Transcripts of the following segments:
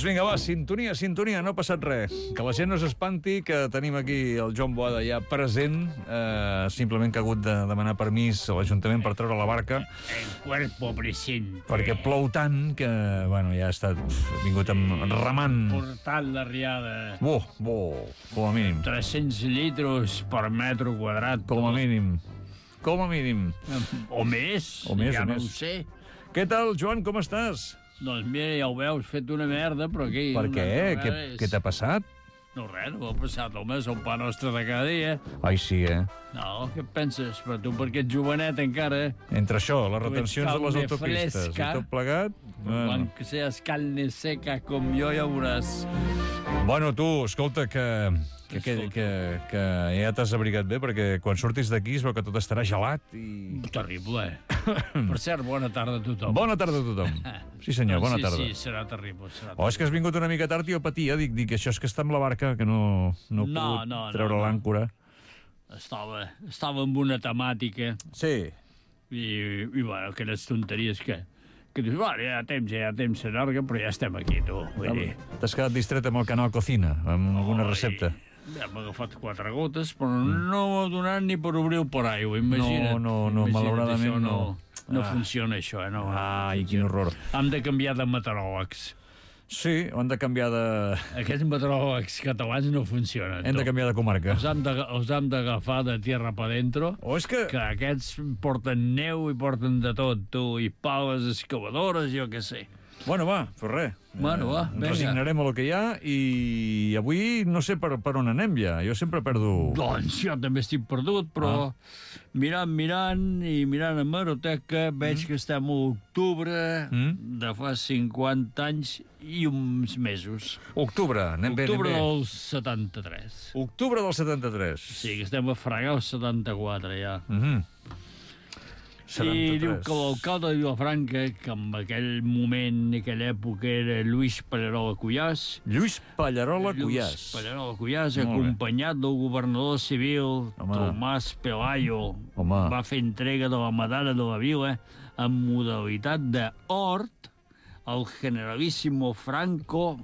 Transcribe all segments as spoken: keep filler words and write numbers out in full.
Doncs vinga, va, sintonia, sintonia, no ha passat res. Que la gent no s'espanti, que tenim aquí el Joan Boada ja present, eh, simplement que ha hagut de demanar permís a l'Ajuntament per treure la barca. El cuerpo presente. Perquè plou tant que, bueno, ja ha estat ha vingut amb, remant. Portant la riada. Bo, bo, com a mínim. tres-cents litros per metro quadrat. Com a mínim. Com a mínim. O més. O més, ja o no més. ho sé. Què tal, Joan, com estàs? Doncs mira, ja ho veus, fet una merda, però aquí... Per què? No, Què, és... què t'ha passat? No, res, no m'ha passat, home, és el pa nostre de cada dia. Ai, sí, eh? No, què et penses? Però tu, perquè ets jovenet encara... Entre això, les Tu ets retencions de les carne autopistes fresca. i tot plegat... Bueno. Bueno. Que seas carne seca com jo, ja veuràs. bueno, tu, escolta, que, que, que, que, que ja t'has abrigat bé, perquè quan surtis d'aquí es veu que tot estarà gelat i... Terrible, eh? Per cert, bona tarda a tothom. Bona tarda a tothom. Sí, senyor, bona sí, tarda. Sí, serà terrible, serà O és que has vingut una mica tard i jo patia, dic, dic, això és que està amb la barca, que no, no he No, pogut no, treure no, no. l'àncora. Estava, estava amb una temàtica Sí. i, i bueno, aquelles tonteries que... que dius, bueno, ja temps, ja temps s'allarga, però ja estem aquí, tu. Vull dir... T'has quedat distret amb el canal Cocina, amb alguna recepta. Ja m'ha agafat quatre gotes, però no m'ha donat ni per obrir el paraigua, imagina't. No, no, no, Imagina't, malauradament això no. No Ah. funciona això, eh? No, Ai, quin horror. Hem de canviar de meteoròlegs. Sí, ho han de canviar de... Aquests meteoròlegs catalans no funcionen. Hem de tu. canviar de comarca. Els hem de- els hem d'agafar de tierra pa dentro, O és que... que aquests porten neu i porten de tot, tu, i pales excavadores, jo què sé. Bueno, va, però res. Bueno, va, Ens vinga. resignarem a lo que hi ha i avui no sé per, per on anem ja. Jo sempre perdo... Doncs jo també estic perdut, però Ah. mirant, mirant i mirant a Hemeroteca veig que estem a octubre Mm. de fa cinquanta anys i uns mesos. Octubre, anem bé, Octubre anem bé. del setanta-tres. Octubre del setanta-tres. Sí, que estem a fregar el setanta-quatre ja. Mhm. I diu setanta-tres. que l'alcalde de Vilafranca, que en aquell moment, en aquella època, era Lluís Pallarola Cuyàs, Lluís Pallarola Lluís Cuyàs. Pallarola Cuyàs, Molt bé. acompanyat del governador civil, Home. Tomàs Pelayo, Home. va fer entrega de la medalla de la vila en modalitat d'hort al generalíssimo Franco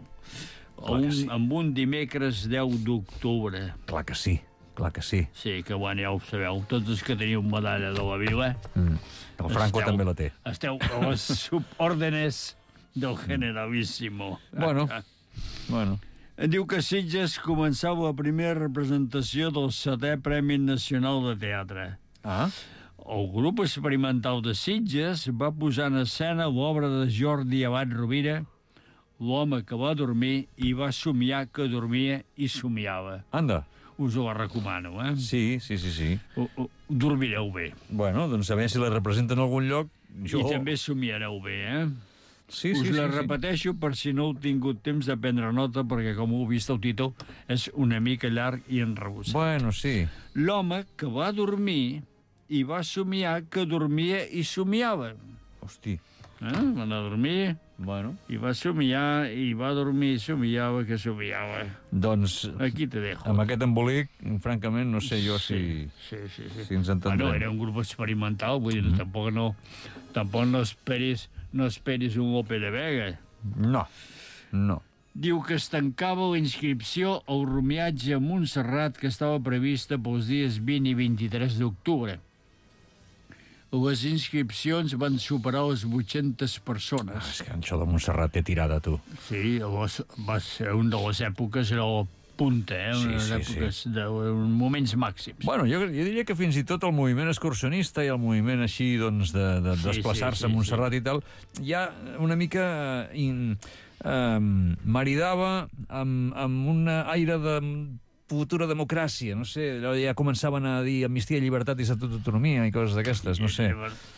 Clar un, que sí. amb un dimecres deu d'octubre. Clar que sí, clar que sí. Sí, que bueno, ja ho sabeu, tots els que teniu medalla de la vila Mm. El Franco Esteu- també la té. esteu a les subòrdenes del generalíssimo. Bueno, bueno. Diu que Sitges començava la primera representació del setè Premi Nacional de Teatre. Ah, El grup experimental de Sitges va posar en escena l'obra de Jordi Abad Rovira, L'home que va dormir i va somiar que dormia i somiava. anda. Us ho recomano, eh? Sí, sí, sí, sí. O, o, dormireu bé. Bueno, doncs a veure si la representen en algun lloc. Jo... I també somiareu bé, eh? Sí, Us sí, la sí, sí. repeteixo per si no heu tingut temps de prendre nota, perquè, com heu vist, el títol és una mica llarg i enrebusat. Bueno, sí. L'home que va dormir i va somiar que dormia i somiava. Hosti. Eh? Va anar a dormir Bueno. i va somiar i va dormir i somiava que somiava. Doncs, Aquí te dejo. amb aquest embolic, francament, no sé jo si, Sí, sí, sí. si ens entendrem. Bueno, era un grup experimental, vull dir, mm -hmm. tampoc no, tampoc no esperis, no esperis un Lope de Vega. No, no. Diu que es tancava la inscripció al romiatge a Montserrat que estava prevista pels dies vint i vint-i-tres d'octubre. Les inscripcions van superar les vuit-centes Ah, persones. és que això de Montserrat té tirada, tu. Sí, llavors va ser una de les èpoques, era la punta, eh? Sí, Unes sí, èpoques sí. de moments màxims. Bueno, jo, jo diria que fins i tot el moviment excursionista i el moviment així, doncs, de, de Sí, desplaçar-se sí, sí, a Montserrat sí. i tal, ja una mica in, eh, maridava amb, amb un aire de futura democràcia, no sé, allò ja començaven a dir amnistia, llibertat i estatut d'autonomia i coses d'aquestes, no sé.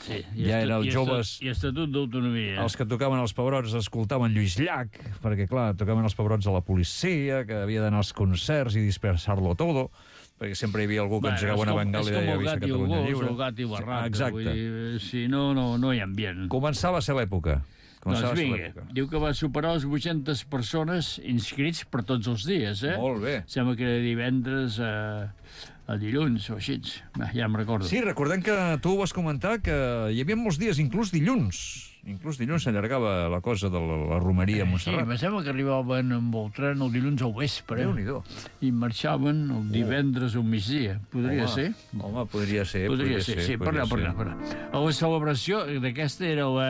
Sí, Ja era els i joves- I Estatut d'Autonomia. Els que tocaven els pebrots escoltaven Lluís Llach, perquè, clar, tocaven els pebrots a la policia, que havia d'anar als concerts i dispersar-lo todo, perquè sempre hi havia algú que Bueno, engegava una bengala i és com deia el Visca gat i el Catalunya gos, Lliure. el gat i barraca. Exacte. Vull dir, si no, no, no hi ha ambient. Començava a ser l'època. Començava Doncs a ser vinga, l'època. diu que va superar les vuit-centes persones inscrits per tots els dies, eh? Molt bé. Sembla que era divendres a, a dilluns o així. Ah, ja em recordo. Sí, recordem que tu ho vas comentar, que hi havia molts dies, inclús dilluns. Inclús dilluns s'allargava la cosa de la, la romeria a Sí, Montserrat. em sembla que arribaven amb el tren el dilluns al vespre Déu-n'hi-do. i marxaven el divendres al migdia. Podria Home, ser? Home, podria ser. Podria ser, sí. Per podria allà, per ser. allà, per allà. La celebració d'aquesta era la...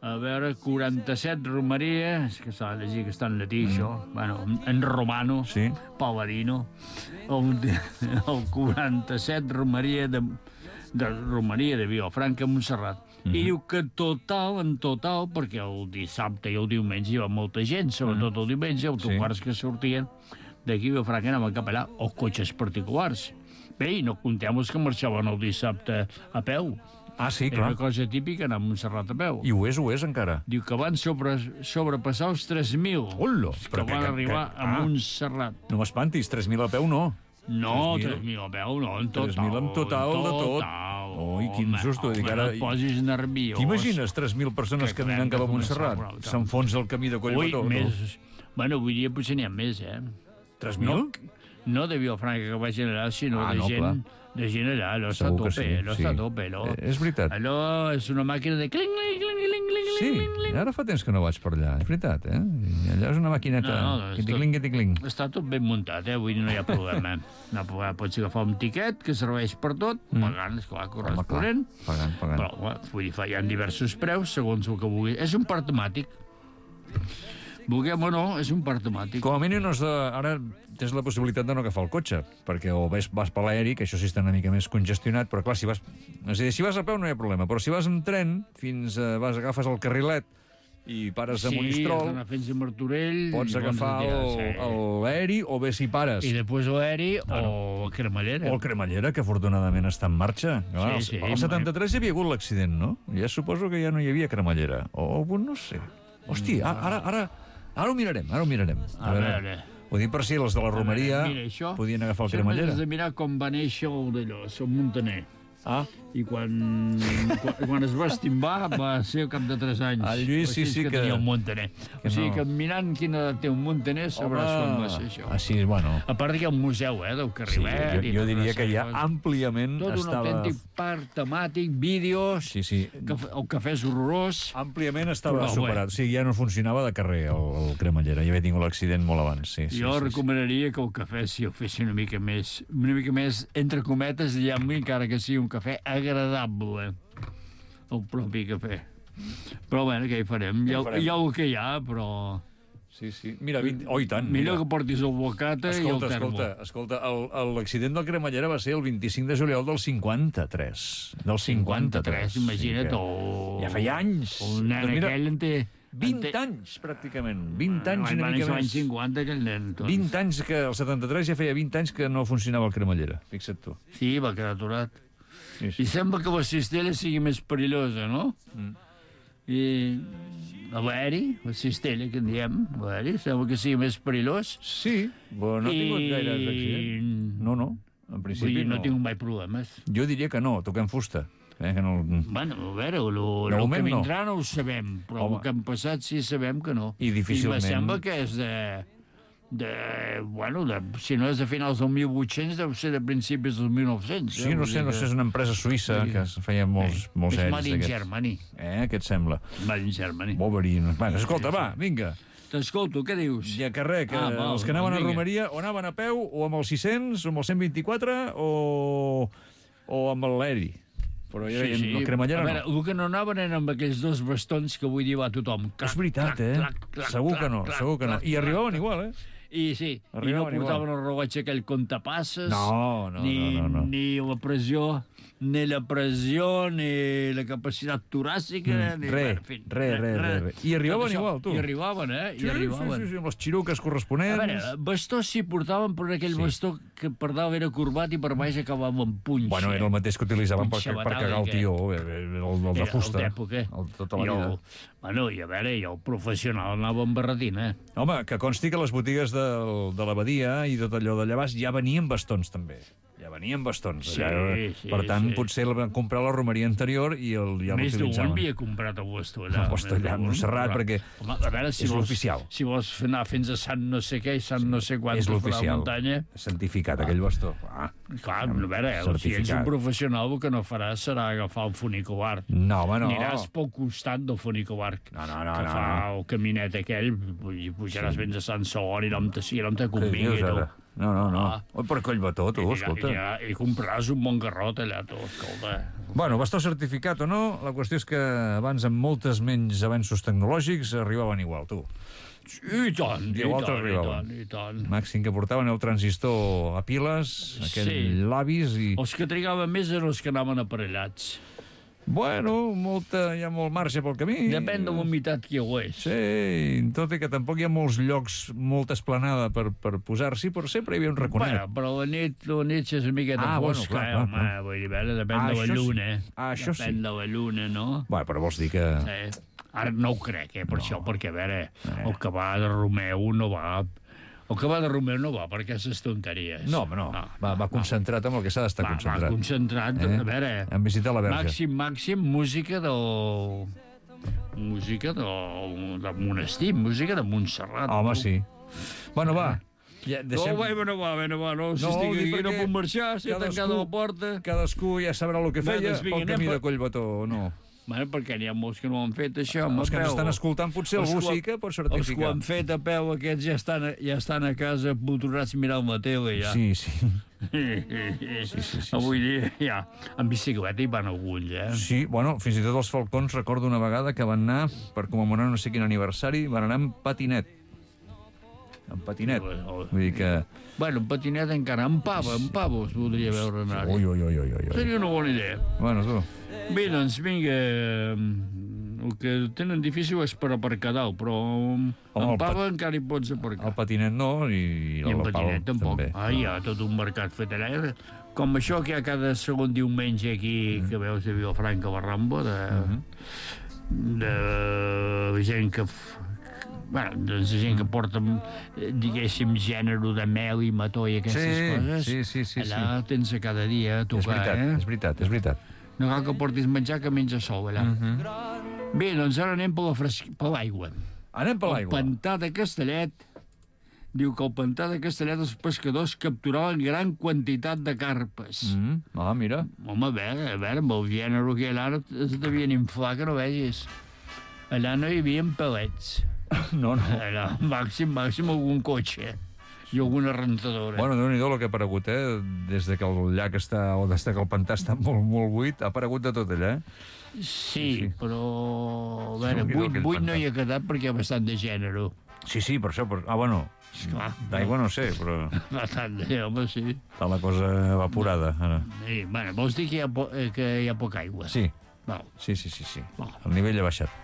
A veure, quaranta-set romeria, és que s'ha de llegir que està en llatí, mm. això, bueno, en, en romano, Sí. paladino, el, el quaranta-set romeria de, de romeria de Vilafranca a Montserrat. Mm -hmm. I diu que total, en total, perquè el dissabte i el diumenge hi va molta gent, sobretot el diumenge, autocars sí. que sortien d'aquí a Vilafranca anaven cap allà, o cotxes particulars. Bé, i no contem els que marxaven el dissabte a peu. Ah, sí, Era clar. una cosa típica anar a Montserrat a peu. I ho és, ho és, encara. Diu que van sobre, sobrepassar els tres mil. Hola! Que Però van que- arribar que- a ah. Montserrat. No m'espantis, tres mil a peu no. No, tres mil. tres mil a peu, no, en total. tres mil en total de tot. Total. Ui, quin Home, susto. home, Dic, ara- no et posis nerviós. T'imagines tres mil persones Que caminant cap a acabem de Montserrat? començar, però- S'enfonsa el camí de Ui, Collbató, no? més... Bueno, avui dia potser n'hi ha més, eh? tres mil? No, no de Vilafranca que vagin allà, sinó Ah, de no, gent... clar. De gent allà, allò està a Segur que tope, sí, allò sí. està a tope, allò. Eh, és veritat. Allò és una màquina de cling, cling, cling, cling, cling, Sí, cling, cling. ara fa temps que no vaig per allà, és veritat, eh? I allà és una maquineta... No, no, és tot- Quiticling, quiticling. Està tot ben muntat, eh? Vull dir, no hi ha problema. No, pots agafar un tiquet que serveix per tot, Mm. pagant, esclar, Home, clar, corresponent. pagant, pagant. Però, clar, vull dir, hi ha diversos preus, segons el que vulgui. És un parc temàtic. Vulguem o no, és un parc temàtic. Com a mínim, no has de... ara tens la possibilitat de no agafar el cotxe, perquè o vas, vas per l'aeri, que això sí està una mica més congestionat, però clar, si vas... És a dir, si vas a peu no hi ha problema, però si vas en tren, fins a... vas, agafes el carrilet i pares a Sí, has Monistrol, d'anar fins a Martorell. pots i agafar pots el- retirar, sí. l'aeri, o bé si pares... I després l'aeri o cremallera. O el cremallera, que afortunadament està en marxa. Clar, Sí, sí, al setanta-tres hi havia hagut l'accident, no? Ja suposo que ja no hi havia cremallera. O, no sé. Hòstia, ara, ara, ara ho mirarem, ara ho mirarem. A veure. Ho dic per si els de la romeria Mira, això... podien agafar el Això cremallera. has de mirar com va néixer el d'allò, el Montaner. Ah, I quan, quan, quan es va estimbar va ser al cap de tres anys. El Lluís, sí, O sigui sí que... que- tenia un Montaner. que O sigui no. que mirant quina edat té un Montaner sabràs com va ser això. Així, bueno... A part que hi ha un museu, eh, del Sí, Carrilet. jo, i jo tota diria una que sèrie ja de coses. àmpliament Tot un estava... autèntic parc temàtic, vídeos, Sí, sí. cafè, el cafè és horrorós. Àmpliament estava Però, superat. O sigui, ja no funcionava de carrer el, el cremallera. Ja havia tingut l'accident molt abans. Sí, sí, Jo sí, sí. recomanaria que el cafè si el fessin una mica més, una mica més, entre cometes, diguem-li, encara que sigui un cafè agradable, el propi cafè. Però, bueno, què hi farem? Hi ha, farem? hi ha el que hi ha, però... Sí, sí. Mira, vint... oh, i tant. Millor mira. que portis el bocata i el Escolta, termo. escolta, escolta, el- el- l'accident del cremallera va ser el vint-i-cinc de juliol del cinquanta-tres. Del cinquanta-tres. Imagina't, Sí, o... que... Ja feia anys. El nen Doncs mira, aquell en té... vint en té... anys, pràcticament. vint anys i una Van mica néixer l'any més. cinquanta, aquell nen. Doncs. vint anys, que el setanta-tres ja feia vint anys que no funcionava el cremallera. Fixa't tu. Sí, va quedar aturat. Sí, I sembla que la cistella sigui més perillosa, no? Mm. I l'aeri, la cistella que en diem, l'aeri, sembla que sigui més perillós. Sí, però no ha tingut gaire accident. No, no, en Vull principi dir, no. no. tinc mai problemes. Jo diria que no, toquem fusta. Eh, que no... Bueno, a veure, el, el moment que no. vindrà no ho sabem, però Home. el que han passat sí sabem que no. I difícilment- I me sembla que és de... de bueno, de, si no és de finals del mil vuit-cents, deu ser de principis del mil nou-cents. Sí, no sé, no sé, és una empresa suïssa que es feia molts, molts És aeris Made in d'aquests. Germany. Eh, què et sembla? Made in Germany. Wolverine. Bueno, escolta, va, vinga. T'escolto, què dius? Ja que res, que Ah, val, els que anaven doncs a vinga. Romeria o anaven a peu, o amb el sis-cents, o amb el cent vint-i-quatre, o, o amb l'aeri. Però ja, sí, sí. el cremallera a veure, no. el que no anaven eren amb aquells dos bastons que avui dir va tothom. Clac, És veritat, clac, eh? clac, clac, Segur que no, clac, segur que no. clac, I clac, arribaven clac. igual, eh? I sí, Arribaven i no portaven igual. el rellotge aquell comptapasses, No, no, ni, no, no, no. ni la pressió, ni la pressió, ni la capacitat toràcica, Mm, ni... re, bueno, en fi, re, re, re, re. I arribaven Tot això. igual, tu. I arribaven, eh? Sí, I arribaven. sí, sí, sí, amb les xiruques A corresponents. veure, bastó sí portaven, però aquell Sí. sí. bastó que per dalt era corbat i per baix acabava amb punxa. Bueno, era el mateix que utilitzaven per, Punxa per cagar el metàl·lica. tio, eh, el, el, el de Era fusta. el d'època. El, tota la I vida. el, bueno, i a veure, i el professional anava amb barretina, eh? Home, que consti que les botigues del, de l'abadia i tot allò d'allà baix ja venien bastons, també. Ja venia amb bastons. Sí, allà. sí, Per tant, sí. potser el van comprar a la romeria anterior i el, ja Més d'un l'utilitzaven. havia comprat el bastó allà. El bastó allà a Montserrat, perquè Home, a veure, si és vols, l'oficial. Si vols anar fins a Sant no sé què i Sant no sé quant és per la l'oficial. muntanya... Santificat, aquell bastó. Ah, Clar, a veure, si ets un certificat. professional, el que no faràs serà agafar el funicobar. No, home, no. Aniràs pel costat del funicobar. No, no, no, que no, fa no. el caminet aquell, i pujaràs fins a Sant Segon i no em te, i no em te Què convingui, dius, tu. ara? No, no, no. Ah. Oi, per Collbató, tu, I, escolta. i, i, i compraràs un bon garrot allà, tu, escolta. Bueno, bastó certificat o no, la qüestió és que abans, amb moltes menys avenços tecnològics, arribaven igual, tu. I tant, i Igual tant, i t'arribaven. tant, i tant. Màxim que portaven el transistor a piles, aquell Sí. llavis i... Els que trigaven més eren els que anaven aparellats. Bueno, molta, hi ha molt marge pel camí. Depèn de la humitat que hi hagués. Sí, tot i que tampoc hi ha molts llocs, molta esplanada per, per posar-s'hi, però sempre hi havia un raconet. Bueno, però la nit, la nit és una miqueta Ah, bueno, fosca, clar, eh, clar, home, clar. vull dir, veure, depèn Ah, de la això sí. lluna. Ah, això depèn sí. de la lluna, no? Bueno, però vols dir que... Sí. Ara no ho crec, eh, per no. això, perquè, a veure, el que va de Romeu no va... El que va de Romeu no va per aquestes tonteries. No, home, no. no va, va concentrat amb el que s'ha d'estar Va, va concentrat. concentrat, Eh? a veure... En visitar la Verge. Màxim, màxim, música del... Música del, del monestir, música de Montserrat. Home, no? sí. Bueno, va. Ja, Deixem... No, va, no va, no va, no, si No, estic dic aquí no perquè puc marxar, si he cadascú- tancat la porta... Cadascú ja sabrà el que Va, feia doncs vinga, pel anem camí per- de Collbató o no. Bueno, perquè n'hi ha molts que no ho han fet, això, home, Els que a ens peu. estan escoltant, potser Els algú que ho- sí que pot Els que ho certificar. han fet a peu, aquests ja estan, a- ja estan a casa poturats mirant la tele, ja. Sí, sí. sí, sí, sí, Avui dia, ja, en bicicleta hi van alguns, eh? Sí, bueno, fins i tot els Falcons recordo una vegada que van anar, per commemorar no sé quin aniversari, van anar amb patinet. Amb patinet. Vull dir que... Bueno, en patinet encara, en pava, en pava es voldria veure anar. Ui, ui, ui, ui, ui. Seria una bona idea. Bueno, tu... Bé, doncs, vinga, el que tenen difícil és per aparcar dalt, però Home, el en pava pat- encara hi pots aparcar. El patinet no, i, I en el pal patinet tampoc. també. Ah, hi ha tot un mercat fet allà. Com això que hi ha cada segon diumenge aquí, Mm. que veus a Vilafranca Barrambo, de, Mm-hmm. de gent que... f- Bueno, doncs gent que porta, eh, diguéssim, gènere de mel i mató i aquestes Sí, coses. sí, sí, sí, Allà tens a cada dia a És tocar, veritat, eh? és veritat, és veritat. No cal que portis menjar, que menja sol, allà. Mm-hmm. Bé, doncs ara anem per la fresc... per l'aigua. Anem per El l'aigua. pantà de Castellet diu que al pantà de Castellet els pescadors capturaven gran quantitat de carpes. Mm. Ah, mira. Home, a veure, a veure, amb el gènere que allà es devien inflar, que no vegis. Allà no hi havia palets. No, no. Allà, màxim, màxim algun cotxe i alguna rentadora. Bueno, déu-n'hi-do el que ha aparegut, eh? Des de que el llac està, o des de que el pantà està molt, molt buit, ha aparegut de tot allà, eh? sí, sí. però... A veure, Déu-n'hi-do buit, aquell buit no pantà. hi ha quedat perquè hi ha bastant de gènere. Sí, sí, per això... Per... Ah, bueno, Esclar. d'aigua no sé, però Bastant de, home, sí. està la cosa evaporada, ara. Sí, bueno, vols dir que hi ha, po eh, que hi ha poca aigua? Sí, Val. sí, sí, sí, sí. Val. El nivell ha baixat.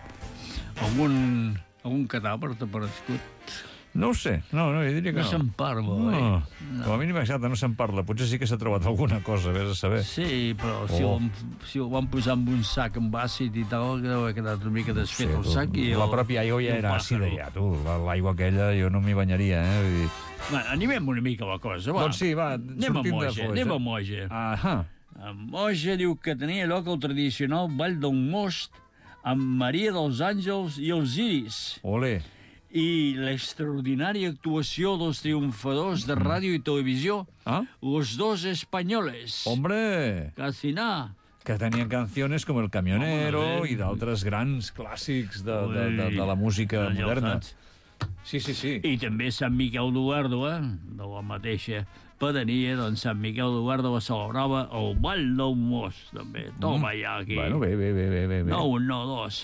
Algun, algun cadàver t'ha aparegut? No ho sé, no, no, jo diria que No no. se'n parla, No, oi? com a mínim exacte, no se'n parla. Potser sí que s'ha trobat alguna cosa, vés a saber. Sí, però si, Oh. oh. el, si el van posar en un sac amb àcid i tal, que deu haver quedat una mica desfet el tu, sac i... la el, pròpia aigua i ja el era pájaro. àcida, ja, tu. La- L'aigua aquella jo no m'hi banyaria, eh? Vull dir... Bueno, animem una mica la cosa, va. Doncs sí, va, anem a sortim de Moja, Foix. anem a eh? Moja. Ahà. A Moja diu que tenia lloc el tradicional Ball del Most amb Maria dels Àngels i els Iris Olé. i l'extraordinària actuació dels triomfadors de ràdio i televisió, Ah? Los Dos Españoles. Hombre, Casi nada. que tenien canciones com El Camionero Home, i d'altres grans clàssics de, de, de, de la música Allò, moderna. saps? Sí, sí, sí. I també Sant Miquel d'Ugardo, eh? De la mateixa pedania, doncs Sant Miquel d'Ugardo va celebrava el Ball del Most, també. Toma ja aquí. Bueno, bé, bé, bé, bé, bé. bé. No un, no dos.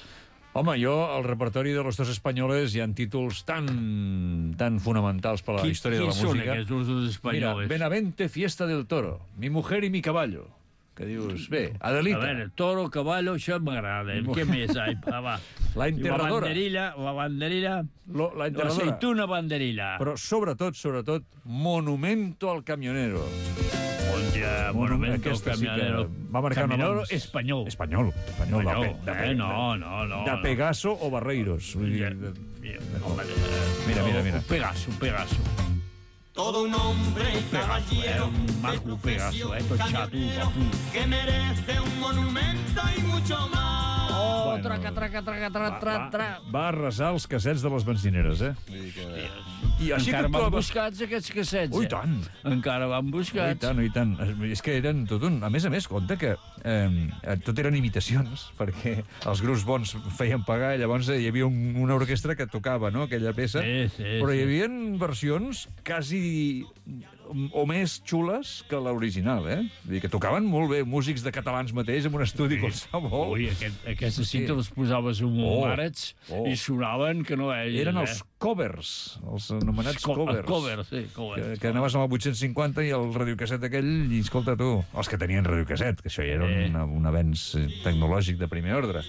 Home, jo, al repertori de Los Dos Españoles hi ha títols tan, tan fonamentals per a la Qui- història de la Quins són música. aquests Los Dos Mira, Españoles? Benavente, Fiesta del Toro, Mi mujer y mi caballo. Que dius, bé, A Adelita. veure, toro, caballo, això m'agrada. Què més? Ai, va, va. La I La enterradora. banderilla, la banderilla, Lo, la enterradora. l'aceituna banderilla. Però sobretot, sobretot, Monumento al Camionero. Monja, monumento, Aquesta sí que camionero. va marcar una Camionero abans. espanyol. Espanyol. Espanyol. Espanyol, de, pe- de, eh? pe- No, no, no. de no. Pegaso o Barreiros. Vull dir, Ja, de- mira, home, Mira, mira, mira. Un Pegaso, un Pegaso. todo un hombre y caballero un maco pegazo, eh, tot xato, papu. que merece un monumento y mucho más. Oh, Bueno, traca, traca, traca, tra, Va, tra, va, tra. va arrasar els cassets de les benzineres, eh? Vull dir que... I així Encara que van trobes... buscats, aquests cassets, Ui, eh? tant! Encara van I buscats. tant, i tant. És que eren tot un... A més a més, compte que eh, tot eren imitacions, perquè els grups bons feien pagar i llavors hi havia un, una orquestra que tocava, no?, aquella peça. Sí, sí, Però hi sí. havia versions quasi o més xules que l'original, eh? Vull dir que tocaven molt bé, músics de catalans mateix, en un estudi qualsevol. Ui, aquest, aquestes Sí. cintes les posaves un Oh, marets oh. i sonaven que no veies, Eren eh? els covers, els anomenats Co- covers. covers, sí, covers. Que, que anaves amb el vuit-cents cinquanta i el radiocasset aquell, i escolta tu, els que tenien radiocasset, que això ja era Eh. una, un avenç eh, tecnològic de primer ordre.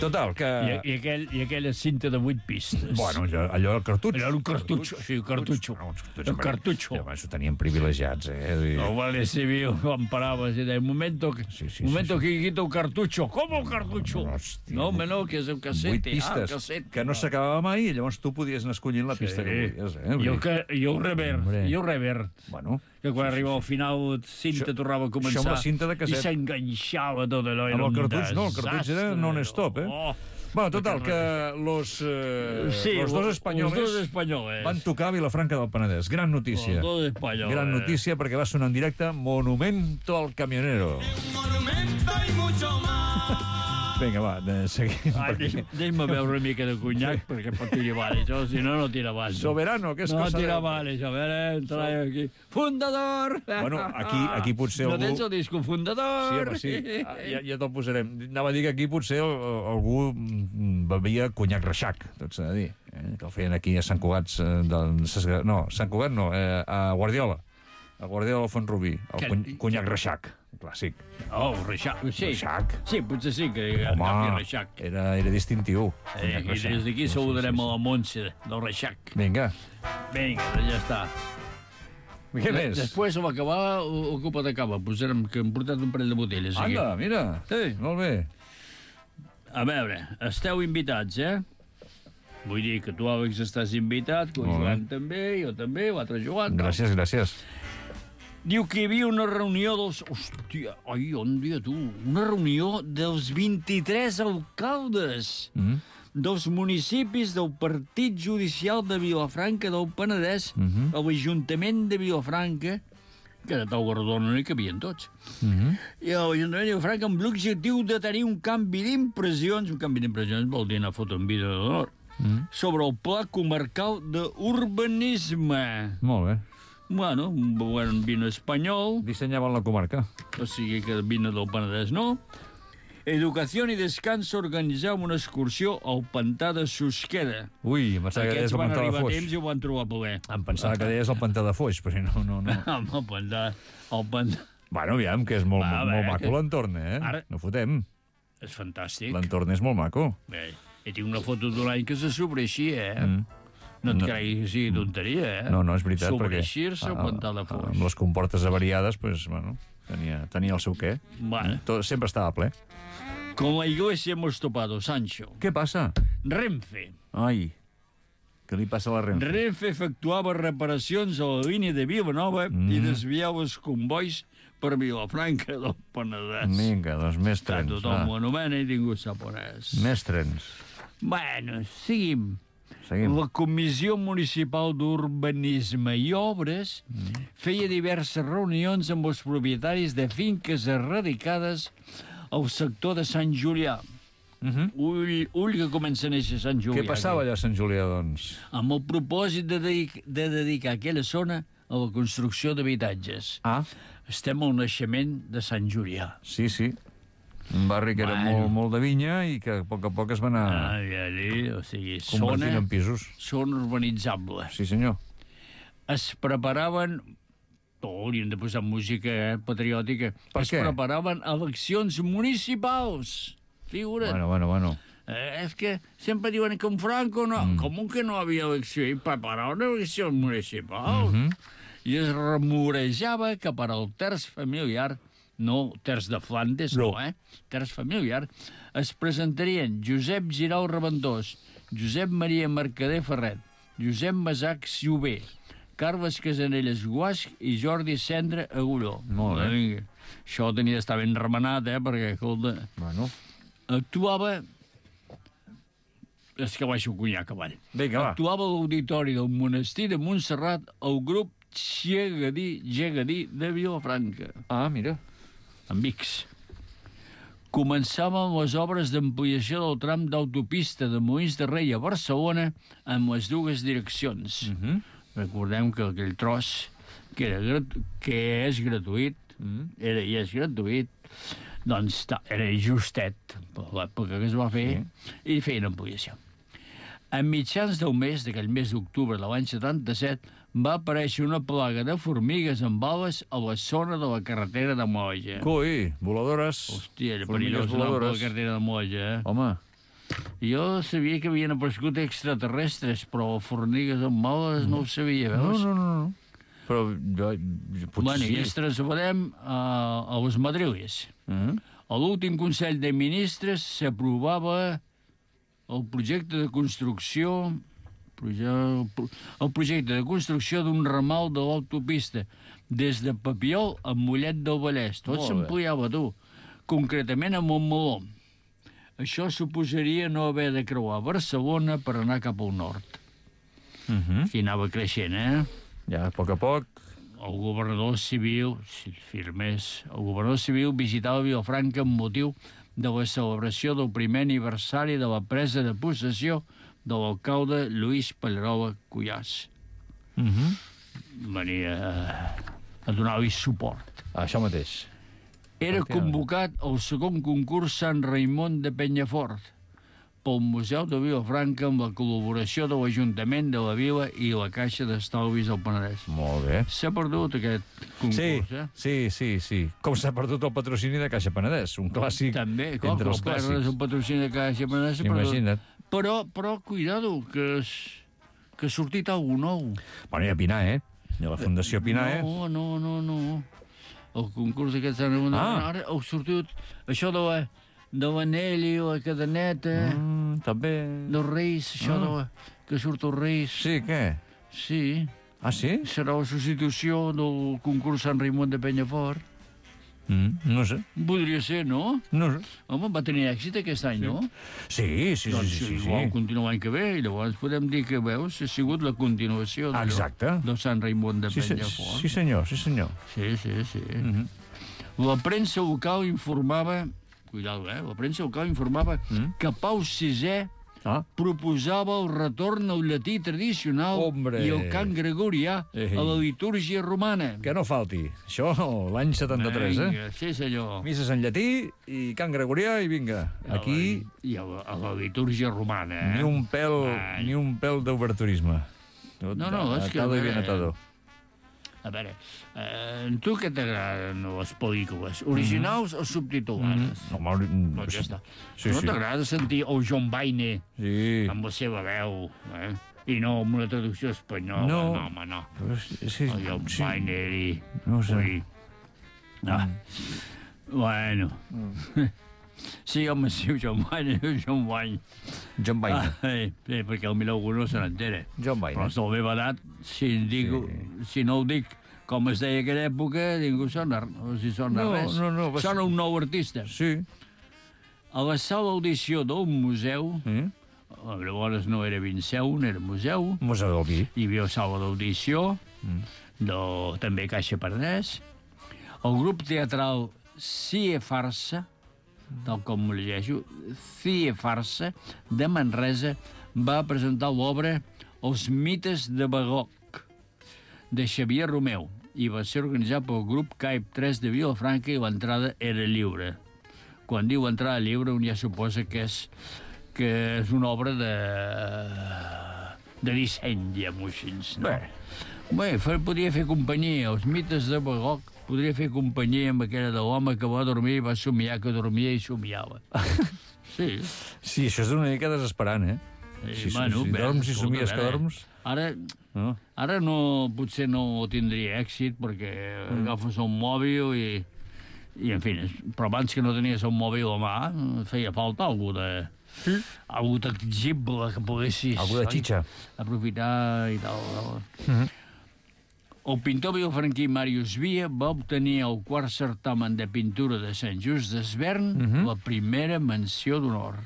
Total, que... I, i, aquell, I aquella cinta de vuit pistes. Bueno, allò, allò el cartutx. Era un cartutxo, sí, un cartutxo. No, uns cartutxos, Un home, cartutxo. i, home, això tenien privilegiats, eh? I... La Guàrdia Civil quan paraves i deia, momento, que, Sí, sí, momento sí, que quita un cartutxo. Com un cartutxo? No, hòstia. No, home, no, que és un Vuit cassette. Ah, pistes, cassette. que no s'acabava mai, i llavors tu podies anar escollint la pista que volies, eh? Vull I el, dir, que, i el rever, Hombre. i el rever. Bueno, Que quan arribava al final, cinta Això- tornava a començar. això amb la cinta de casset. I s'enganxava tot allò. era amb el un cartutx no, el cartutx era desastre. non-stop, eh? Oh. Bueno, total, que los, eh, Sí, los dos los espanyoles dos espanyoles. van tocar a Vilafranca del Penedès. Gran notícia. Los dos espanyoles. Gran notícia perquè va sonar en directe Monumento al Camionero. Un monumento y mucho más. Vinga, va, de, seguim. Ai, perquè- deixa'm, deixa'm veure una mica de conyac, perquè pot tirar avall, això, si no, no tira avall. Soberano, que és No cosa tira de- avall, això, a veure, entra aquí. Fundador! Bueno, aquí, aquí potser No algú... tens el disco Sí, fundador? home, sí. Ah, Ja, ja te'l posarem. Anava a dir que aquí potser el- algú mm, bevia conyac reixac, tot s'ha de dir. Eh? Que el feien aquí a Sant Cugat... eh, Del... No, Sant Cugat no, eh, a Guardiola. A Guardiola del Font-rubí. El Que- cony- conyac reixac, clàssic. Oh, reixac, sí. Reixac. Sí, potser sí que Home, agafi reixac. era, era distintiu. Eh, conyac I reixac. des d'aquí Sí, saludarem sí, a sí, la Montse del reixac. sí. Vinga. Vinga, doncs ja està. Què més? Després, a l'acabar, o- ocupa de cava. Posarem que hem portat un parell de botelles. aquí. Anda, mira. Sí. Molt bé. A veure, esteu invitats, eh? Vull dir que tu, Àlex, estàs invitat, que el Molt bé. Joan també, jo també, l'altre Joan. Gràcies, gràcies. Diu que hi havia una reunió dels... Hòstia, ai, on dia tu? Una reunió dels vint-i-tres alcaldes Mm dels municipis del Partit Judicial de Vilafranca del Penedès, Mhm. a l'Ajuntament de Vilafranca, que de tal Guardona no hi cabien tots. -hmm. I l'Ajuntament de Vilafranca amb l'objectiu de tenir un canvi d'impressions, un canvi d'impressions vol dir anar a fotre un vídeo d'honor, Mm. sobre el Pla Comarcal d'Urbanisme. Molt bé. Bueno, un govern vino espanyol, Dissenyaven la comarca. o sigui que vino del Penedès no. Educació i Descans organitzava una excursió al pantà de Susqueda. Ui, em pensava que deies Aquests el van pantà de arribar a Foix. temps i ho van trobar ple. Em pensava que deies el pantà de Foix, però no, no, no. Home, el pantà... El pantà... Bueno, aviam, que és molt, Va, a molt veure, maco que- l'entorn, eh? Ara- No fotem. És fantàstic. L'entorn és molt maco. Bé, i tinc una foto d'un any que se sobreeixia, eh? Mm. No et No. creguis que sigui tonteria, eh? No, no, és veritat, perquè... Sobreeixir-se al ah, pantà de ah, Foix. Amb les comportes avariades, pues, bueno, tenia, tenia el seu què. Bueno, Tot, sempre estava ple. con la iglesia hemos topado, Sancho. Què passa? Renfe. Ai, què li passa a la Renfe? Renfe efectuava reparacions a la línia de Vilanova Mm. i desviava els convois per Vilafranca del Penedès. Vinga, doncs més Que trens. tothom ho Va. anomena i ningú sap on és. Més trens. Bueno, seguim. Seguim. La Comissió Municipal d'Urbanisme i Obres Mm. feia diverses reunions amb els propietaris de finques erradicades al sector de Sant Julià. Uh -huh. Ull, ull que comença a néixer Sant Julià. Què passava aquí. allà a Sant Julià, doncs? Amb el propòsit de, dedic de dedicar aquella zona a la construcció d'habitatges. Ah, Estem al naixement de Sant Julià. sí, sí. Un barri que era Bueno. molt, molt de vinya i que a poc a poc es va anar Ai, ai, o sigui, convertint zona, en pisos. zona urbanitzable. Sí, senyor. Es preparaven... Oh, hauríem de posar música eh, patriòtica. Per es què? preparaven eleccions municipals. Figura't. Bueno, bueno, bueno. Eh, és que sempre diuen que en Franco no... Mm. Com que no havia elecció? I preparaven eleccions municipals. Mhm. I es remorejava que per al terç familiar, no terç de Flandes, no, No. eh? Terç familiar, es presentarien Josep Giral Reventós, Josep Maria Mercader Ferret, Josep Masac Siuber, Carles Casanelles Guasch i Jordi Cendra Agulló. Molt bé. Vinga. Això tenia d'estar ben remenat, eh, perquè, escolta, Bueno, actuava... És que baixo conyac avall. vinga, va. Actuava a l'auditori del monestir de Montserrat el grup Llegadí, Llegadí de Vilafranca, Ah, mira. amb X. Començaven les obres d'ampliació del tram d'autopista de Molins de Rei a Barcelona amb les dues direccions. Mm -hmm. Recordem que aquell tros, que, era, grat- que és gratuït, Mm. era i és gratuït, doncs ta, era justet per l'època que es va fer, sí. I feien ampliació. A mitjans del mes, d'aquell mes d'octubre de l'any setanta-set, va aparèixer una plaga de formigues amb ales a la zona de la carretera de Moja. Coi, voladores. Hòstia, era formigues perillós anar per la voladores. carretera de Moja, eh? Home, Jo sabia que havien aparegut extraterrestres, però formigues amb ales no ho sabia, no, veus? no, no. no. Però jo, jo potser Bueno, sí. i ens traslladem a, a les madriles. Mm. A l'últim Consell de Ministres s'aprovava el projecte de construcció proje- el projecte de construcció d'un ramal de l'autopista des de Papiol a Mollet del Vallès. Tot Molt bé. s'ampliava, tu. Concretament a Montmeló. Això suposaria no haver de creuar Barcelona per anar cap al nord. Mm -hmm. Aquí anava creixent, eh? Ja, a poc a poc. El governador civil, si firmés, el governador civil visitava Vilafranca amb motiu de la celebració del primer aniversari de la presa de possessió de l'alcalde Lluís Pallarola Cuyàs. Mm -hmm. Venia a donar-li suport. Això mateix. Era Efectivament. convocat el segon concurs Sant Raimon de Penyafort pel Museu de Vilafranca amb la col·laboració de l'Ajuntament de la Vila i la Caixa d'Estalvis del Penedès. Molt bé. S'ha perdut aquest concurs, Sí, eh? sí, sí, sí. Com s'ha perdut el patrocini de Caixa Penedès, un clàssic També, clar, entre que els el perres clàssics. el patrocini de Caixa Penedès. s'ha perdut. Imagina't. Però, però, cuidado, que, es, que ha sortit alguna nou. Bueno, i a Pinar, eh? I a la Fundació Pinar, eh? No, no, no, no. El concurs aquest Sant Ramon de Ah. Pinar, ara ha sortit això de la, de l'anell i la cadeneta, Mm, també... dels Reis, això Ah. de la, que surt els Reis. Sí, què? Sí, Ah, sí? serà la substitució del concurs Sant Raimon de Penyafort. Mm, no sé, Podria ser, no? no sé. Home, va tenir èxit aquest any, no? Sí, sí, Doncs sí, sí, sí. igual continua l'any que ve, i llavors podem dir que, veus, ha sigut la continuació d'allò, Exacte. del Sant Raimon de Sí, sí, Penyafort. sí, senyor, sí, senyor. Sí, sí, sí. Mm -hmm. La premsa local informava, cuidado, eh, la premsa local informava Mm. que Pau sisè Ah, proposava el retorn al llatí tradicional Hombre. i al cant gregorià Ei. a la litúrgia romana. que no falti. Això, l'any setanta-tres, eh? Vinga, sí, senyor. Misses en llatí i cant gregorià i vinga. Aquí I a la, a la litúrgia romana, eh? ni un pèl, Ai. ni un pèl d'oberturisme. Tot No, no, és que, atado a i veure, bien atado. A veure, eh, tu què t'agraden les pel·lícules? Originals o subtitulades? No, home, Doncs ja està. Sí, no sí. t'agrada sentir el John Baine Sí. amb la seva veu, eh? I no amb una traducció espanyola. No. No, home, no. Però sí, sí, El John sí. Baine i... No ho sé. Ui. Ah. Bueno. Sí, home, sí, el John Baine, el John Baine. John Baine. Ah, eh, sí, perquè el mira algú no se n'entera. John Baine. Però és de la meva edat, si, dic, si no ho dic com es deia aquella època, ningú sona, no si sona No, res. no, no, va ser- Sona un nou artista. Sí. A la sala d'audició del museu, Eh? llavors no era Vinceun, era museu, Museu del Vi. hi havia sala d'audició, de, també Caixa Penedès, el grup teatral Cie Farsa, tal com ho llegeixo, Cie Farsa, de Manresa, va presentar l'obra Els mites de Bagoc, de Xavier Romeu, i va ser organitzat pel grup Caip tres de Vilafranca i l'entrada era lliure. Quan diu entrada lliure, un ja suposa que és, que és una obra de, de disseny, diguem-ho així. No? Bé. Bé, fer, podria fer companyia. Els mites de Bagoc podria fer companyia amb aquella de l'home que va dormir i va somiar que dormia i somiava. Sí. Sí, això és una mica desesperant, eh? Si, si, si bé, dorms i escolta, somies a que veure, dorms... Ara, No? ara no, potser no tindria èxit perquè mm. agafes un mòbil i, i en fi, però abans que no tenies un mòbil a mà feia falta algú de... Sí. Algú tangible que poguessis... Algú de oi? xitxa. Aprofitar i tal. tal. Mhm. El pintor vilafranquí Màrius Via va obtenir el quart certamen de pintura de Sant Just d'Esvern Mhm. la primera menció d'honor.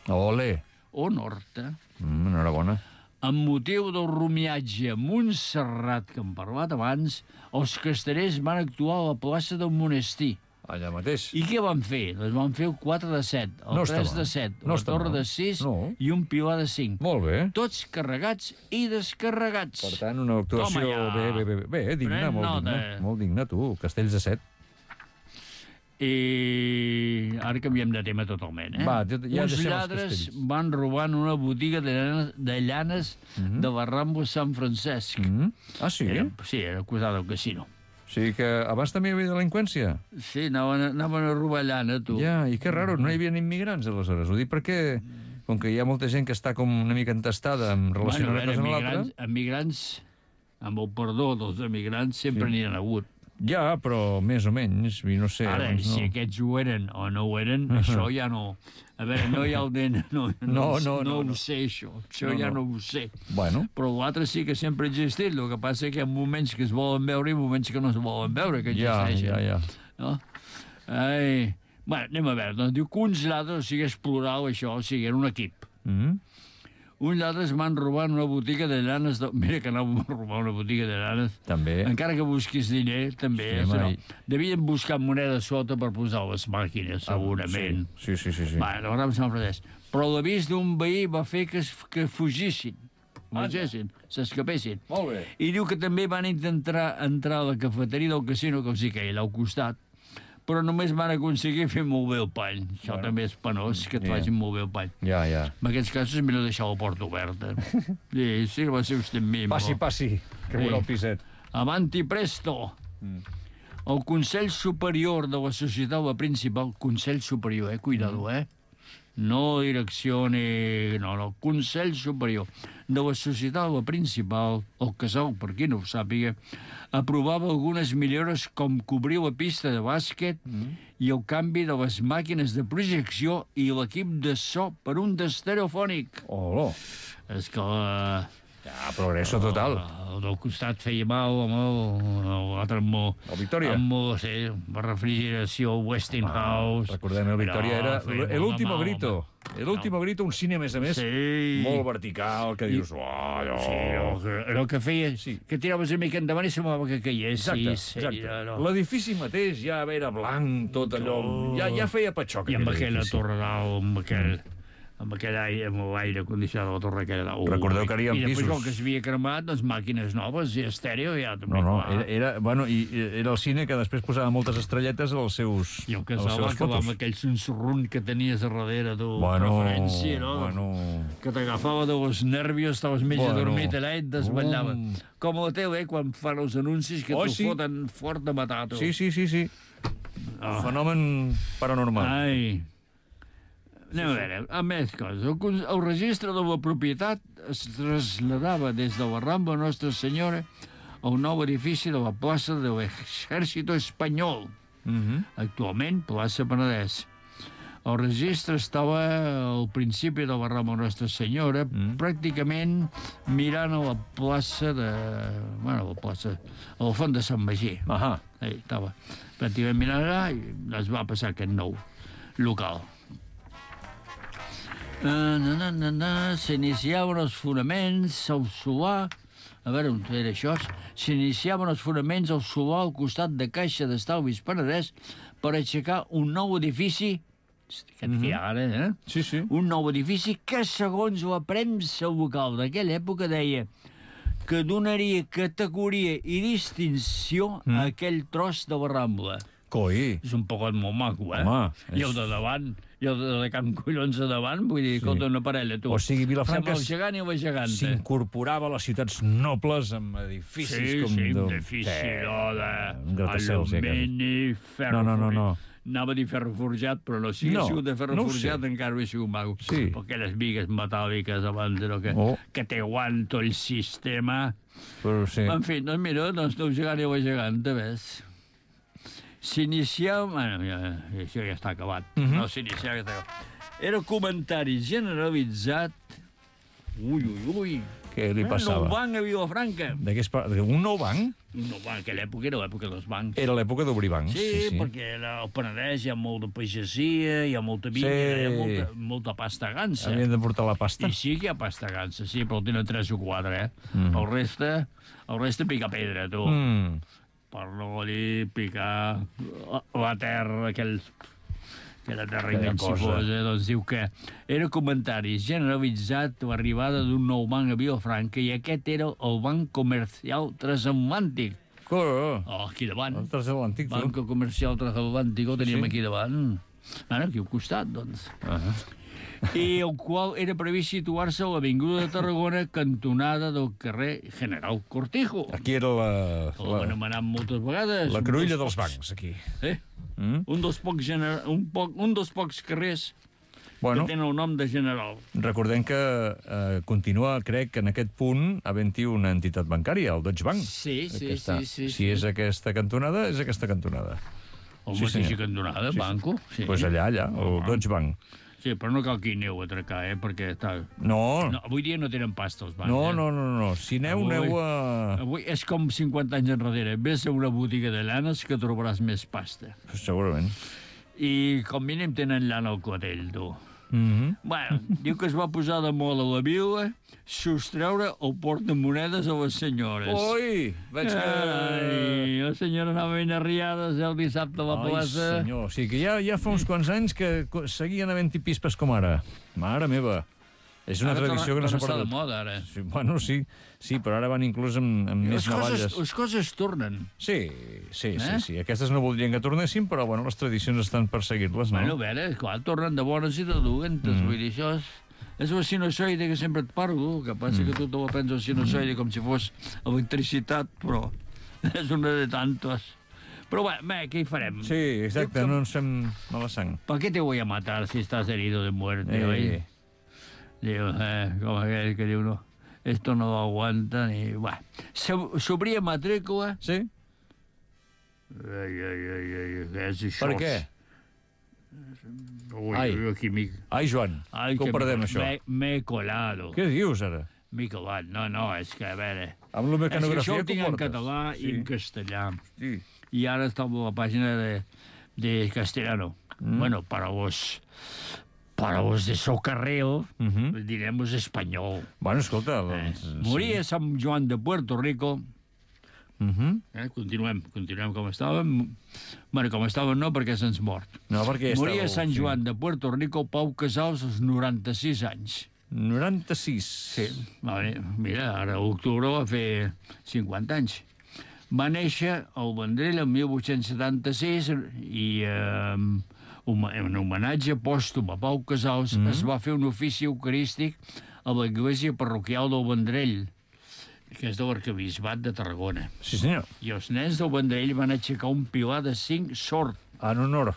Ole. Honor, eh? Mm, enhorabona. Amb motiu del rumiatge a Montserrat, que hem parlat abans, els castellers van actuar a la plaça del monestir. Allà mateix. I què van fer? Doncs van fer el quatre de set, el No està tres mal. de set, No la està torre mal. de sis No. i un pilar de cinc. Molt bé. Tots carregats i descarregats. Per tant, una actuació Toma ja. bé, bé, bé, bé, digna, Pren molt nota. digna. Molt digna, tu. Castells de set. I ara canviem de tema totalment, eh? Va, ja- ja Uns deixem els lladres castells. van robant una botiga de llanes de, llanes Mhm. de Barrambo Sant Francesc. Mm. Ah, sí? Era, sí, era acusat del casino. O sigui que abans també hi havia delinqüència. Sí, anaven, a- anaven a robar llana, tu. Ja, i que raro, no hi havia immigrants, aleshores. Ho dic perquè, com que hi ha molta gent que està com una mica entestada en relació bueno, a una a cosa veure, amb l'altra... emigrants, emigrants, amb el perdó dels emigrants, sempre Sí. n'hi ha hagut. Ja, però més o menys, i no sé... Ara, doncs no. si aquests ho eren o no ho eren, això ja no... A veure, no hi ha el D N, no, no, No, no, no, no, ho no. sé, això. Això No, ja no. no ho sé. Bueno, Però l'altre sí que sempre ha existit. El que passa és que hi ha moments que es volen veure i moments que no es volen veure, que ja, existeixen. ja, ja. No? Ai... Bueno, anem a veure. Doncs diu que uns lladres, o sigui, és plural això, o sigui, era un equip. Mm. Uns lladres van robar una botiga de llanes... De... Mira que anàvem a robar una botiga de llanes. També. Encara que busquis diner, també. Sí, Eh, home, no. i- Devien buscar moneda sota per posar a les màquines, segurament. Ah, Sí, sí, sí. sí, sí. Va, no vam Sant Francesc. Però l'avís d'un veí va fer que, es, que fugissin, marxessin, s'escapessin. Molt bé. I diu que també van intentar entrar a la cafeteria del casino, que els hi queia allà al costat, però només van aconseguir fer molt bé el pany. Això Bueno. també és penós, que et Ja. facin molt bé el pany. Ja, ja. En aquests casos és millor deixar la porta oberta. Sí, sí, va ser vostè amb mi. Passi, però- passi, que Sí. veurà el piset. Avanti presto! Mm. El Consell Superior de la Societat la Principal, Consell Superior, eh? Cuidado, eh? No direcció ni... No, no, Consell Superior de la Societat la Principal, el Casal, per qui no ho sàpiga, aprovava algunes millores com cobrir la pista de bàsquet Mm. i el canvi de les màquines de projecció i l'equip de so per un d'estereofònic. Olo. És que la... Ja, progresso total. El del costat feia mal, amb el- l'altre amb el... El Victoria. Amb el, sí, la refrigeració, el Westinghouse... Recordem, el Victoria Però era feia molt el de último mal, grito. home. El último grito, un cine, a més a més, Sí. molt vertical, que dius... Oh, allò... Sí, el que, era el que feia... Sí. Que tiraves una mica endavant i semblava que caiés. Exacte, sí, sí, exacte. no, no. L'edifici mateix ja era blanc, tot allò... Ja, ja feia patxoc. I amb aquell aquella edifici. torre dalt, amb aquell... amb aquell aire, amb l'aire condicionat de la torre aquella dalt. Recordeu que hi havia I després, pisos. com que s'havia cremat, doncs màquines noves i estèreo ja també. No, no, clar. era, era, bueno, i i era el cine que després posava moltes estrelletes als seus, I el a les casal va seves acabar fotos. amb aquell sonsorrun que tenies a darrere, tu, Bueno, preferència, no? bueno... Que t'agafava de los nervios, estaves mig Bueno. adormit allà i et desvetllava. Um. Com a la tele, eh, quan fan els anuncis que Oh, t'ho sí. foten fort de matar, tu. Sí, sí, sí, sí. Ah. Fenomen paranormal. Ai. Anem a veure, a més coses. El, cons- el registre de la propietat es traslladava des de la Rambla Nostra Senyora a un nou edifici de la plaça de l'Exèrcito Espanyol, Mhm. actualment plaça Penedès. El registre estava al principi de la Rambla Nostra Senyora, Mm. pràcticament mirant a la plaça de... Bueno, a la plaça... a la font de Sant Magí. Ahà. Ahí estava. Pràcticament mirant allà i es va passar aquest nou local. Uh, na, na, na, na, s'iniciaven els fonaments, el solar... A veure, on era això? S'iniciaven els fonaments al solar al costat de Caixa d'Estalvis Penedès per aixecar un nou edifici, aquest que hi ha ara, eh? Sí, sí. Un nou edifici que, segons la premsa local d'aquella època, deia que donaria categoria i distinció Mm. a aquell tros de la Rambla. Coi. És un pocot molt maco, eh? Home, I és- el de davant, i el de, de Can Collons de davant, vull dir, Sí. escolta, una parella, tu. O sigui, Vilafranca Sembla el gegant i la geganta. s'incorporava a les ciutats nobles amb edificis Sí, com... sí, de- un edifici, no, de... Un gratacels, ja, quasi. alumini, ferro... No, no, no, no. Anava a dir ferro forjat, però no. Si hagués No, sigut de ferro no ho forjat, sé. encara hauria sigut maco. Sí. Però aquelles vigues metàl·liques abans, no, que, Oh. que té aguanto el sistema... Però sí. En fi, doncs mira, doncs no gegant i la geganta, ves? S'iniciava... Bueno, ja, això ja està acabat. Mhm. No, s'iniciava, ja està acabat. Era comentari generalitzat... Ui, ui, ui. Què li Un passava? nou banc a Vilafranca. De què es parla? Un nou banc? Un nou banc, aquella època era l'època dels bancs. Era l'època d'obrir bancs. Sí, Sí, sí. perquè al Penedès hi ha molt de pagesia, hi ha molta vinya, Sí. hi ha molta, molta pasta gansa. Havien de portar la pasta? I sí que hi ha pasta gansa, sí, però tenen tres o quatre, eh? Mm. El reste, el reste pica pedra, tu. Mm. Per no dir picar la, la terra, aquell... aquella terra Aquella insifosa, doncs diu que era comentari generalitzat l'arribada d'un nou banc a Vilafranca i aquest era el Banc Comercial Transatlàntic. Corre. Oh, aquí davant. El transatlàntic, tu. Banco Comercial Transatlàntic, ho teníem Sí. aquí davant. Ara, aquí al costat, doncs. Uh -huh. I el qual era previst situar-se a l'Avinguda de Tarragona, cantonada del carrer General Cortijo. Aquí era la... Ho han La, anomenat moltes vegades. la un cruïlla dels dels pocs- bancs, aquí. Eh? Mm? Un dels pocs, gener... un, poc... un dels pocs carrers Bueno, que tenen el nom de General. recordem que eh, continua, crec, en aquest punt, havent-hi una entitat bancària, el Deutsche Bank. Sí, sí, Aquesta, sí, sí, Si sí. és aquesta cantonada, és aquesta cantonada. El Sí, mateix senyor. cantonada, Sí, sí. Banco. Sí. Doncs pues allà, allà, el Deutsche Bank. Sí, però no cal que hi aneu a atracar, eh? Perquè està... No, No, avui dia no tenen pasta els bancs, no, eh? no, no, no. Si aneu, Avui- aneu a... Avui és com cinquanta anys enrere. Ves a una botiga de llanes que trobaràs més pasta. Segurament. I com mínim tenen llana al clatell, tu. Mm -hmm. Bueno, diu que es va posar de moda a la vila sostreure el portamonedes a les senyores. Ui, veig que... Ai, la senyora anava ben arriades el dissabte a la Ai, plaça. senyor, o sigui que ja, ja fa uns quants anys que co- seguien havent-hi pispes com ara. Mare meva. És una Ara tradició que no s'ha torna a estar de perdut. moda, ara. Sí, bueno, sí, sí, però ara van inclús amb, amb més Les coses, navalles. les coses tornen. Sí, sí, sí, Eh? sí. Aquestes no voldrien que tornessin, però bueno, les tradicions estan per seguir-les, no? Bueno, a veure, clar, tornen de bones i de dolentes. Mm. Vull dir, això és, és la sinusoide que sempre et parlo, que passa mm. que tu te la prens el sinusoide com si fos electricitat, però és una de tantos. Però bé, bé, què hi farem? Sí, exacte, Diu que- no ens fem mala sang. ¿Para qué te voy a matar si estás herido de muerte, Eh. oi? Diu, eh, com aquell que diu, no, esto no lo aguanta ni... Bueno, s'obria matrícula... Sí? Ai, ai, ai, ai, què és això? Per què? Ui, Ai. ui, aquí m'hi... Ai, Joan, Ai, que ho perdem, això. Me, me he colado. Què dius, ara? M'he colat. No, no, és que, a veure... Amb la És que mecanografia això ho que tinc en portes. català Sí. i en castellà. Sí. Y ahora estamos a la página de, de castellano. Mm. Bueno, para vos, para vos de socarreo, Uh -huh. diremos español. Bueno, escolta... Eh? doncs, Moria Sant Joan de Puerto Rico. Uh -huh. Eh? Continuem, continuem com estàvem. Bueno, com estàvem no, perquè se'ns mort. No, perquè Moria estàveu- Sant sí. Joan de Puerto Rico, Pau Casals, als noranta-sis anys. noranta-sis. Sí, vale. Mira, ara a l'octubre va fer cinquanta anys. Va néixer al Vendrell el mil vuit-cents setanta-sis i eh, en homenatge pòstum a Pau Casals mm -hmm. es va fer un ofici eucarístic a l'església parroquial del Vendrell, que és de l'arcabisbat de Tarragona. Sí, senyor. I els nens del Vendrell van aixecar un pilar de cinc sort. En honor.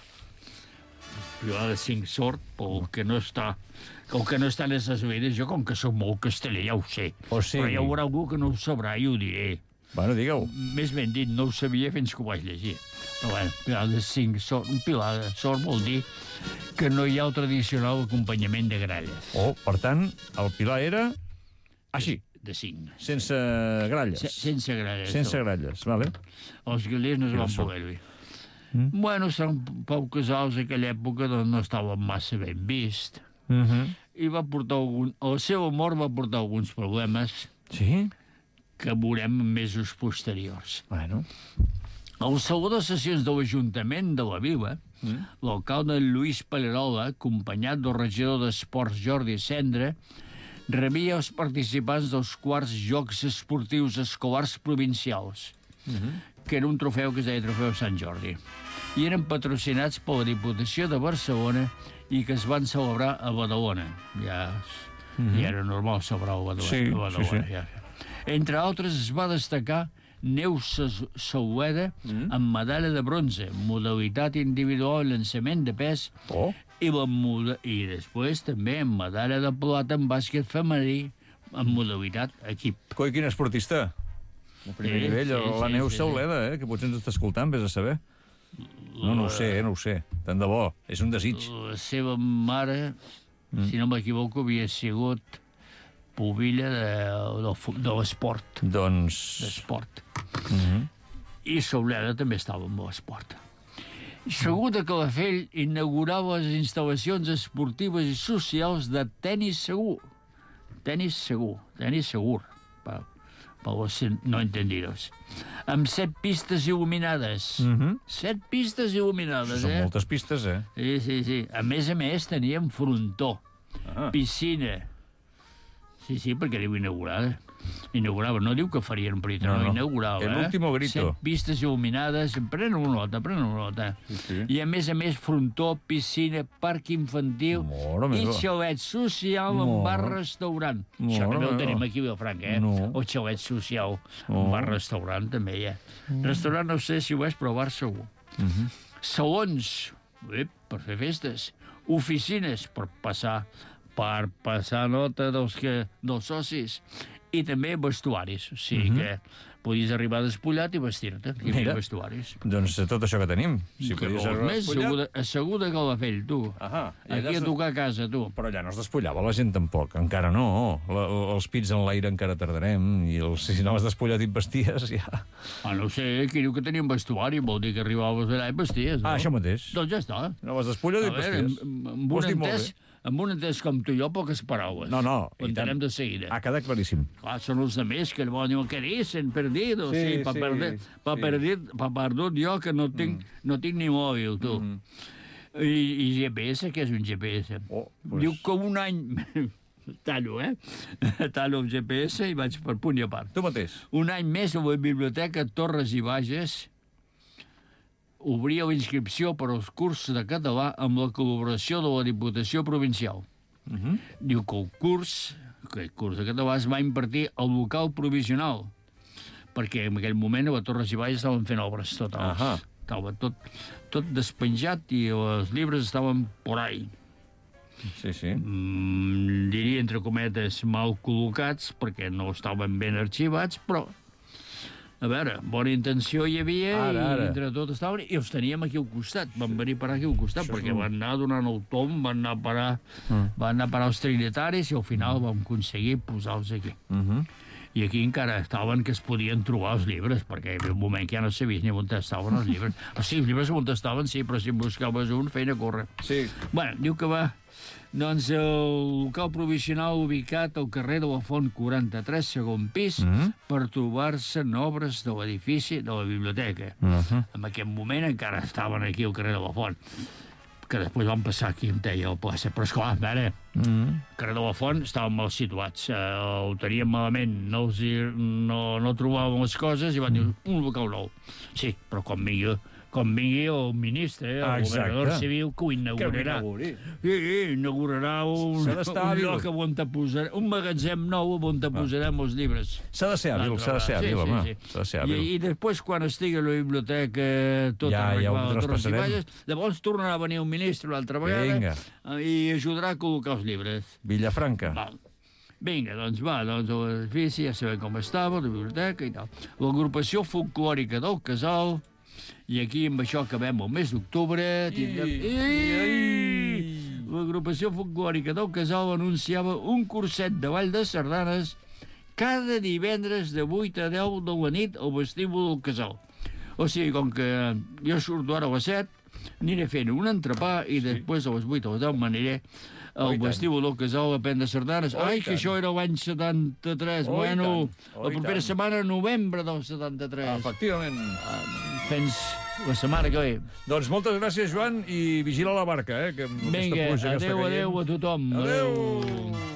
Pilar de cinc sort, pel que no està... Com que no està en les veres, jo com que soc molt casteller ja ho sé. O sigui- Però hi haurà algú que no ho sabrà i ho diré. Bueno, digue-ho. Més ben dit, no ho sabia fins que ho vaig llegir. Però bueno, pilar de cinc sort, un pilar de sort vol dir que no hi ha el tradicional acompanyament de gralles. Oh, per tant, el pilar era així, De cinc. sense gralles. Se, sense gralles. Sense no. gralles, vale. Els galers no es van sort. poder-hi. Mm. Bueno, Sant Pau Casals, a aquella època, doncs, no estava massa ben vist. Uh -huh. I va portar algun... El seu amor va portar alguns problemes Sí? que veurem en mesos posteriors. Bueno. El saló de sessions de l'Ajuntament de la Vila, mm. l'alcalde Lluís Pallerola, acompanyat del regidor d'Esports Jordi Cendra, rebia els participants dels quarts Jocs Esportius Escolars Provincials, mm -hmm. que era un trofeu que es deia Trofeu Sant Jordi, i eren patrocinats per la Diputació de Barcelona i que es van celebrar a Badalona. Ja, mm -hmm. ja era normal celebrar a Badalona. Sí, a Badalona sí, sí. Ja. Entre altres, es va destacar Neus Saueda mm. amb medalla de bronze, modalitat individual, llançament de pes, Oh. i, la moda... i després també amb medalla de plata en bàsquet femení, en modalitat equip. Coi, quin esportista. El primer Sí, nivell, sí, la sí, Neus sí, Sauleda, eh, que potser ens està escoltant, vés a saber. No, no ho sé, eh, no ho sé. Tant de bo, és un desig. La seva mare, mm. si no m'equivoco, havia sigut pubilla de, de, de l'esport. Doncs... D'esport. Mm -hmm. I Sauleda també estava amb l'esport. Segur de Calafell inaugurava les instal·lacions esportives i socials de tenis segur. Tenis segur, tenis segur, per, per los no entendidos. Amb set pistes il·luminades. Mm -hmm. Set pistes il·luminades, Són eh? moltes pistes, eh? Sí, sí, sí. A més a més, teníem frontó, Ah. piscina. Sí, sí, perquè diu inaugurada. Inaugurava, no diu que farien prita, no, No, no, no. inaugurava. El eh? último grito. Set pistes il·luminades, prenen una nota, prenen una nota. Sí, sí. I a més a més, frontó, piscina, parc infantil Mare i meva. xalet social amb Mare. bar-restaurant. Mare Això també ho meva. tenim aquí a Vilafranca, eh? No. O xalet social Oh. amb bar-restaurant també hi ha. Restaurant no sé si ho és, però bar segur. Mm -hmm. Salons, eh, per fer festes. Oficines, per passar per passar nota dels, que, dels socis. I també vestuaris, o sigui Mhm. que podies arribar despullat i vestir-te. Hi havia Mira. vestuaris. Doncs tot això que tenim. Si que podies vols arribar més, despullat. segur de, segur de Calafell, tu. Ahà. I Aquí allà a es- tocar a casa, tu. Però allà no es despullava la gent tampoc. Encara no. La, els pits en l'aire encara tardarem. I els, si no has despullat i et vesties, ja... Ah, no sé, qui diu que tenia un vestuari, vol dir que arribaves allà i vesties, no? Ah, això mateix. Doncs ja està. No vas despullat i A et veure, vesties. amb, amb, Ho un has dit molt entès, bé. amb un entès com tu i jo, poques paraules. No, no, Ho i tant. entenem de seguida. Ha quedat claríssim. Clar, són els altres que llavors diuen que dicen, perdidos, Sí, sí, pa, sí, perder, pa, sí. perdit, pa perdut jo, que no tinc, mm. no tinc ni mòbil, tu. Mm. I, I G P S, què és un G P S? Oh, pues... Diu que un any... Tallo, eh? Tallo el G P S i vaig per punt i a part. Tu mateix. Un any més a la Biblioteca Torres i Bages obria la inscripció per als cursos de català amb la col·laboració de la Diputació Provincial. Uh -huh. Diu que el curs, aquest curs de català, es va impartir al local provisional, perquè en aquell moment a la Torres i Bages estaven fent obres totals. Ahà. Estava tot, tot despenjat i els llibres estaven por ahí. Sí, sí. Mm, diria, entre cometes, mal col·locats, perquè no estaven ben arxivats, però, a veure, bona intenció hi havia, Ara, ara. i entre tot estaven, i els teníem aquí al costat, van venir a parar aquí al costat, Això és perquè un- van anar donant el tom, van anar a parar, Mm. van anar a parar els trinitaris, i al final vam aconseguir posar-los aquí. Uh -huh. I aquí encara estaven que es podien trobar els llibres, perquè hi havia un moment que ja no sabies ni on estaven els llibres. O sigui, els llibres on estaven, sí, però si en buscaves un, feina a córrer. Sí. Bueno, diu que va... Doncs el local provisional ubicat al carrer de la Font quaranta-tres, segon pis, mm Mhm. -hmm. per trobar-se en obres de l'edifici de la biblioteca. Uh -huh. En aquest moment encara estaven aquí al carrer de la Font, que després van passar aquí on deia el plaça. Però, esclar, a veure, Uh -huh. al carrer de la Font estaven mal situats, eh, ho teníem malament, no, els hi, no, no trobàvem les coses i van dir un local nou. Sí, però com vingui, com vingui el ministre, eh, Ah, el exacte. governador civil, que ho Que ho inaugurarà. inauguri. Sí, sí, inaugurarà un, S'ha d'estar un hàbil. lloc on te posarà, un magatzem nou on te posarem els llibres. S'ha de ser hàbil, s'ha de ser hàbil, home. S'ha de ser hàbil. I, I després, quan estigui a la biblioteca tota Ja, ja ho arreglada, Torres i traspassarem. Bages, llavors tornarà a venir un ministre l'altra vegada Vinga. eh, i ajudarà a col·locar els llibres. Villafranca. Val. Vinga, doncs va, doncs l'edifici ja sabem com estava, la biblioteca i tal. L'agrupació folclòrica del Casal, i aquí amb això acabem el mes d'octubre. Tindrem... I... L'agrupació folclòrica del Casal anunciava un curset de ball de sardanes cada divendres de vuit a deu de la nit al vestíbul del Casal. O sigui, com que jo surto ara a les set, aniré fent un entrepà i després a les vuit o a les deu m'aniré Oh, al i tant. vestíbul del Casal a prendre sardanes. Oh, i Ai, que tant. això era l'any setanta-tres. Oh, i bueno, tant. Oh, la i propera tant. setmana, novembre del setanta-tres. Efectivament. Fins la setmana que ve. Doncs moltes gràcies, Joan, i vigila la barca, eh, que amb aquesta Vinga, pluja que està adeu, caient. adeu a tothom. Adeu.